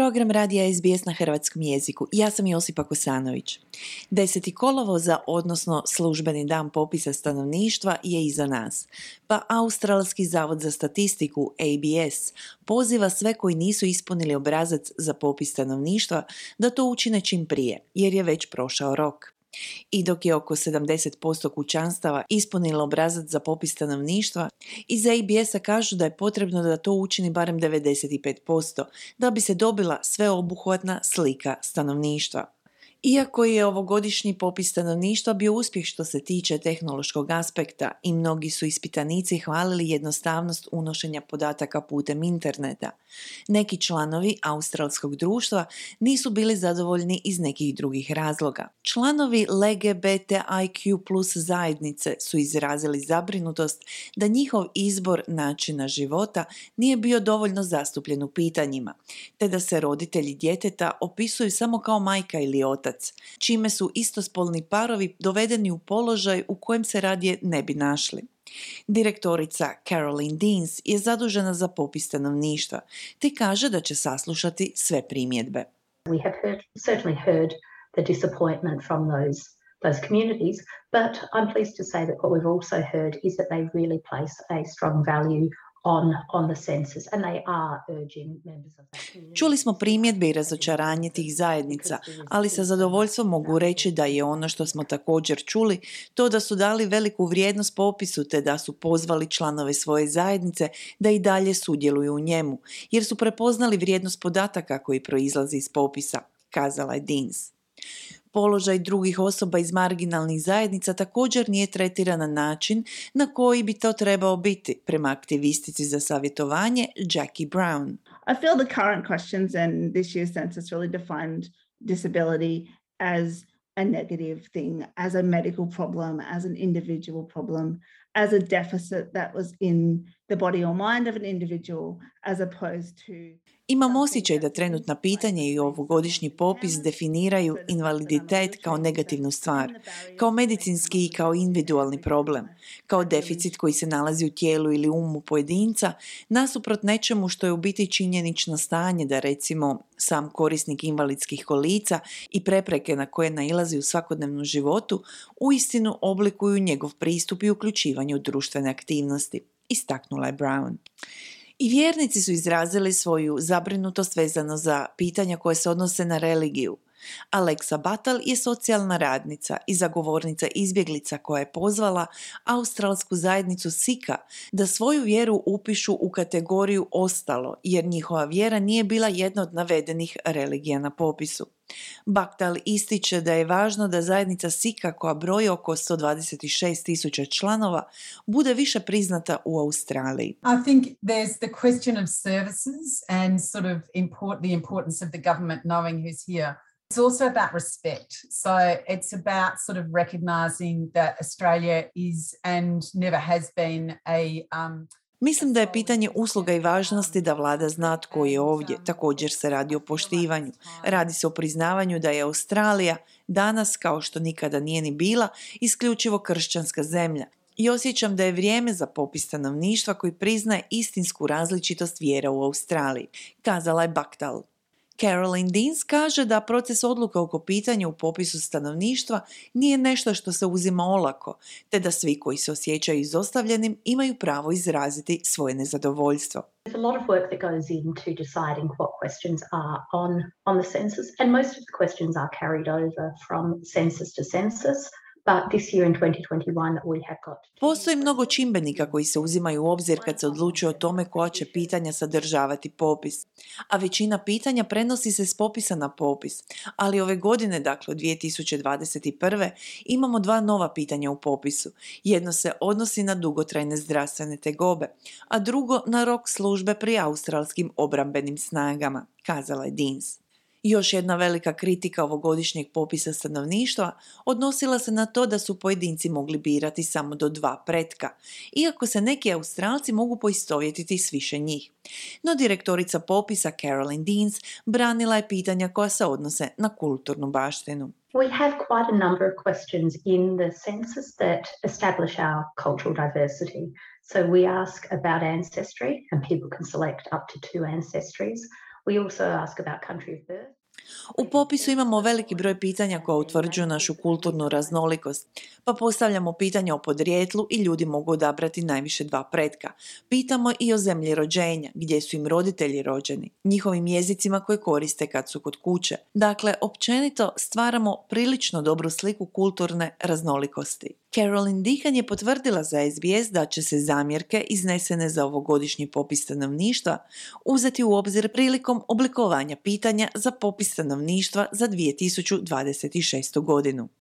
program radija SBS na hrvatskom jeziku. Ja sam Josipa Kosanović. 10. kolovoza, odnosno službeni dan popisa stanovništva, je iza nas. Pa Australski zavod za statistiku, ABS, poziva sve koji nisu ispunili obrazac za popis stanovništva da to učine čim prije, jer je već prošao rok. I dok je oko 70% kućanstava ispunilo obrazac za popis stanovništva, iz ABS-a kažu da je potrebno da to učini barem 95% da bi se dobila sveobuhvatna slika stanovništva. Iako je ovogodišnji popis stanovništva bio uspjeh što se tiče tehnološkog aspekta i mnogi su ispitanici hvalili jednostavnost unošenja podataka putem interneta, neki članovi australskog društva nisu bili zadovoljni iz nekih drugih razloga. Članovi LGBTIQ+ zajednice su izrazili zabrinutost da njihov izbor načina života nije bio dovoljno zastupljen u pitanjima, te da se roditelji djeteta opisuju samo kao majka ili otac, čime su istospolni parovi dovedeni u položaj u kojem se radije ne bi našli. Direktorica Caroline Deans je zadužena za popis stanovništva, te kaže da će saslušati sve primjedbe. We have certainly heard the disappointment from those communities, but I'm pleased to say that what we've also heard is that they really place a strong value on the census, and they are urging members of that community. Čuli smo primjedbe i razočaranje tih zajednica, ali sa zadovoljstvom mogu reći da je ono što smo također čuli to da su dali veliku vrijednost popisu te da su pozvali članove svoje zajednice da i dalje sudjeluju u njemu, jer su prepoznali vrijednost podataka koji proizlazi iz popisa, kazala je Deans. Položaj drugih osoba iz marginalnih zajednica također nije tretiran na način na koji bi to trebao biti, prema aktivistici za savjetovanje Jackie Brown. I feel the current questions and this year's census really defined disability as a negative thing, as a medical problem, as an individual problem, as a deficit that was in the body or mind of an individual, as opposed to... Imam osjećaj da trenutna pitanja i ovogodišnji popis definiraju invaliditet kao negativnu stvar, kao medicinski i kao individualni problem, kao deficit koji se nalazi u tijelu ili umu pojedinca, nasuprot nečemu što je u biti činjenično stanje da recimo sam korisnik invalidskih kolica i prepreke na koje nailazi u svakodnevnom životu uistinu oblikuju njegov pristup i uključivanje u društvene aktivnosti, istaknula je Brown. I vjernici su izrazili svoju zabrinutost vezano za pitanja koje se odnose na religiju. Alexa Battle je socijalna radnica i zagovornica izbjeglica koja je pozvala australsku zajednicu Sikha da svoju vjeru upišu u kategoriju ostalo, jer njihova vjera nije bila jedna od navedenih religija na popisu. Battle ističe da je važno da zajednica Sikha, koja broji oko 126,000 članova, bude više priznata u Australiji. I think there's the question of services and sort of the importance of the government knowing who's here. It's also about respect. So it's about sort of recognising that Australia is and never has been Mislim da je pitanje usluga i važnosti da vlada zna tko je ovdje. Također se radi o poštivanju. Radi se o priznavanju da je Australija danas, kao što nikada nije ni bila, isključivo kršćanska zemlja. I osjećam da je vrijeme za popis stanovništva koji priznaje istinsku različitost vjera u Australiji, kazala je Baktal. Caroline Deans kaže da proces odluka oko pitanja u popisu stanovništva nije nešto što se uzima olako, te da svi koji se osjećaju izostavljenim imaju pravo izraziti svoje nezadovoljstvo. There's a lot of work that goes into deciding what questions are on the census, and most of the questions are carried over from census to census. But this year in 2021 we have got... Postoji mnogo čimbenika koji se uzimaju u obzir kad se odlučuje o tome koja će pitanja sadržavati popis. A većina pitanja prenosi se s popisa na popis. Ali ove godine, dakle 2021. imamo 2 nova pitanja u popisu. Jedno se odnosi na dugotrajne zdravstvene tegobe, a drugo na rok službe pri australskim obrambenim snagama, kazala je Deans. Još jedna velika kritika ovogodišnjeg popisa stanovništva odnosila se na to da su pojedinci mogli birati samo do 2 pretka, iako se neki Australci mogu poistovjetiti s više njih. No direktorica popisa Caroline Deans branila je pitanja koja se odnose na kulturnu baštinu. We have quite a number of questions in the census that establish our cultural diversity. So we ask about ancestry, and people can select up to 2 ancestries. We also ask about country of birth. U popisu imamo veliki broj pitanja koja utvrđuju našu kulturnu raznolikost, pa postavljamo pitanja o podrijetlu i ljudi mogu odabrati najviše 2 pretka. Pitamo i o zemlji rođenja, gdje su im roditelji rođeni, njihovim jezicima koje koriste kad su kod kuće. Dakle, općenito stvaramo prilično dobru sliku kulturne raznolikosti. Carolyn Deacon je potvrdila za SBS da će se zamjerke iznesene za ovogodišnji popis stanovništva uzeti u obzir prilikom oblikovanja pitanja za popis stanovništva za 2026. godinu.